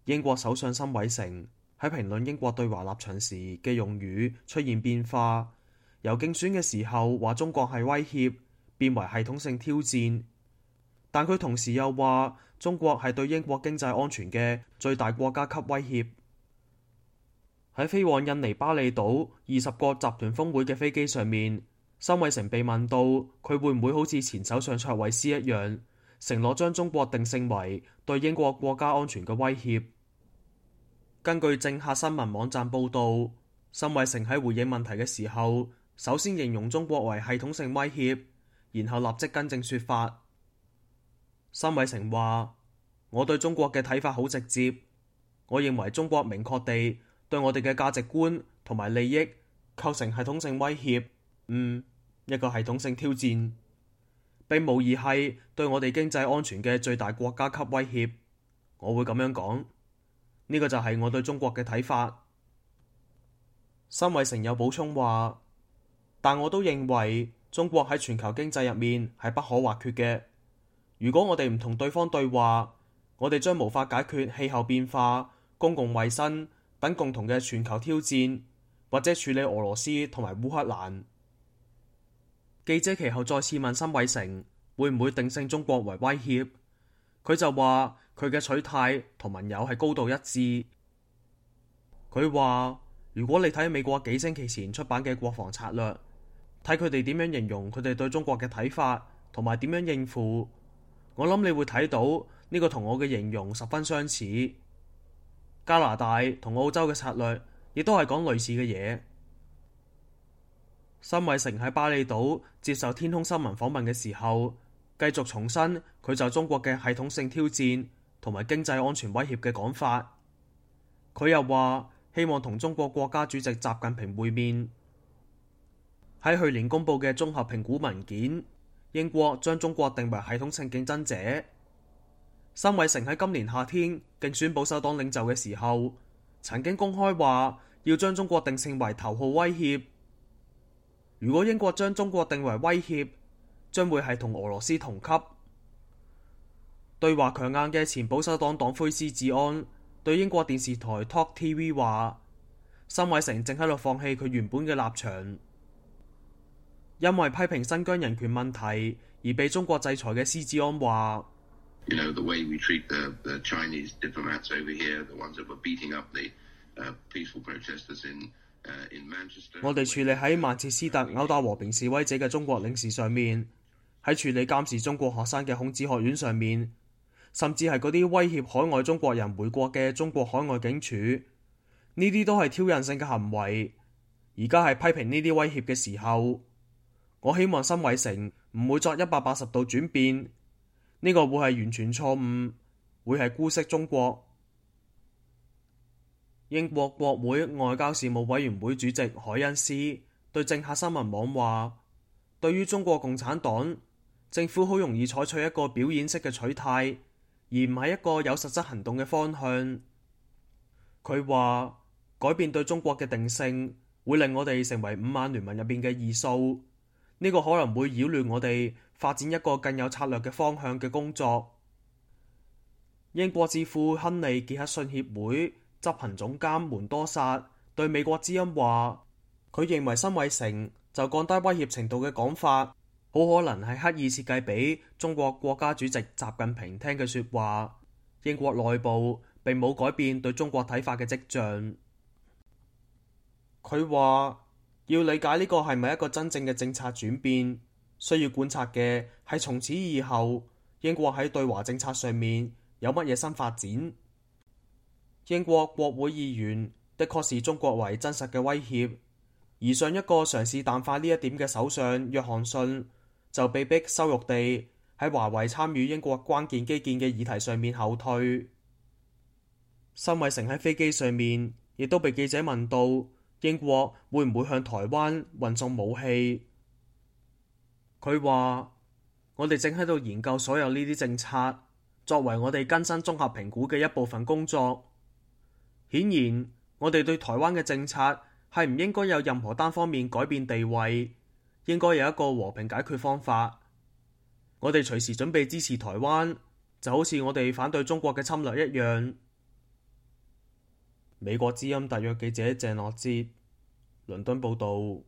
英國首相辛偉誠喺評論英國對華立場時嘅用語出現變化，由競選嘅時候話中國係威脅，變為系統性挑戰。但佢同時又話中國係對英國經濟安全嘅最大國家級威脅。喺飛往印尼巴厘島20國集團峰會嘅飛機上面，辛偉誠被問到佢會唔會好似前首相卓慧思一樣，承諾將中國定性為對英國國家安全嘅威脅。根據政客新聞網站報導，辛偉誠喺回應問題嘅時候，首先形容中國為系統性威脅，然後立即更正說法。辛偉誠話：我對中國嘅睇法好直接，我認為中國明確地對我哋嘅價值觀同埋利益構成系統性威脅，一個系統性挑戰，並無疑係對我哋經濟安全嘅最大國家級威脅。我會咁樣講。呢個就係我對中國嘅睇法。辛偉誠有補充話，但我都認為中國喺全球經濟入面係不可或缺嘅。如果我哋唔同對方對話，我哋將無法解決氣候變化、公共衛生等共同嘅全球挑戰，或者處理俄羅斯同埋烏克蘭。記者其後再次問辛偉誠會唔會定性中國為威脅，佢就話佢嘅取態同盟友係高度一致。佢話如果你睇美國幾星期前出版嘅國防策略，睇佢哋點樣形容佢哋對中國嘅睇法同埋點樣應付，我諗你會睇到呢個同我嘅形容十分相似。加拿大同澳洲嘅策略亦都係講類似嘅嘢。辛偉誠喺巴厘島接受天空新聞訪問嘅時候，繼續重申佢就中國嘅系統性挑戰同埋經濟安全威脅嘅講法。佢又話希望同中國國家主席習近平會面。喺去年公佈嘅綜合評估文件，英國將中國定為系統性競爭者。辛偉誠喺今年夏天競選保守黨領袖嘅時候，曾經公開話要將中國定性為頭號威脅。如果英國將中國定為威脅，將會係同俄羅斯同級。對華強硬嘅前保守黨黨魁施志安對英國電視台 Talk TV 話，辛偉誠正喺度放棄佢原本嘅立場。因為批評新疆人權問題而被中國制裁嘅施志安話，我哋處理喺曼徹斯特毆打和平示威者嘅中國領事上面，喺處理監視中國學生嘅孔子學院上面，甚至係嗰啲威脅海外中國人回國嘅中國海外警署，呢啲都係挑釁性嘅行為。而家係批評呢啲威脅嘅時候，我希望辛偉誠唔會作180度轉變，呢個會係完全錯誤，會係姑息中國。英國國會外交事務委員會主席海恩斯對政客新聞網話，對於中國共產黨，政府好容易採取一個表演式嘅取態，而唔係一個有實質行動嘅方向。佢話改變對中國嘅定性會令我哋成為五眼聯盟入邊嘅異數，呢個可能會擾亂我哋發展一個更有策略嘅方向嘅工作。英國智庫亨利傑克遜協會執行總監門多薩對美國之音話，佢認為辛偉誠就降低威脅程度嘅講法，好可能係刻意設計俾中國國家主席習近平聽嘅說話。英國內部並冇改變對中國睇法嘅跡象。佢話要理解呢個係咪一個真正嘅政策轉變，需要觀察嘅係從此以後英國喺對華政策上面有乜嘢新發展。英國國會議員的確視中國為真實嘅威脅，而上一個嘗試淡化呢一點嘅首相約翰遜就被逼羞辱地喺華為參與英國關鍵基建嘅議題上面後退。辛偉誠喺飛機上面亦都被記者問到英國會唔會向台灣運送武器，佢話我哋正喺度研究所有呢啲政策，作為我哋更新綜合評估嘅一部分工作。顯然，我哋對台灣嘅政策係唔應該有任何單方面改變地位，應該有一個和平解決方法。我哋隨時準備支持台灣，就好似我哋反對中國嘅侵略一樣。美國之音特約記者鄭樂哲，倫敦報導。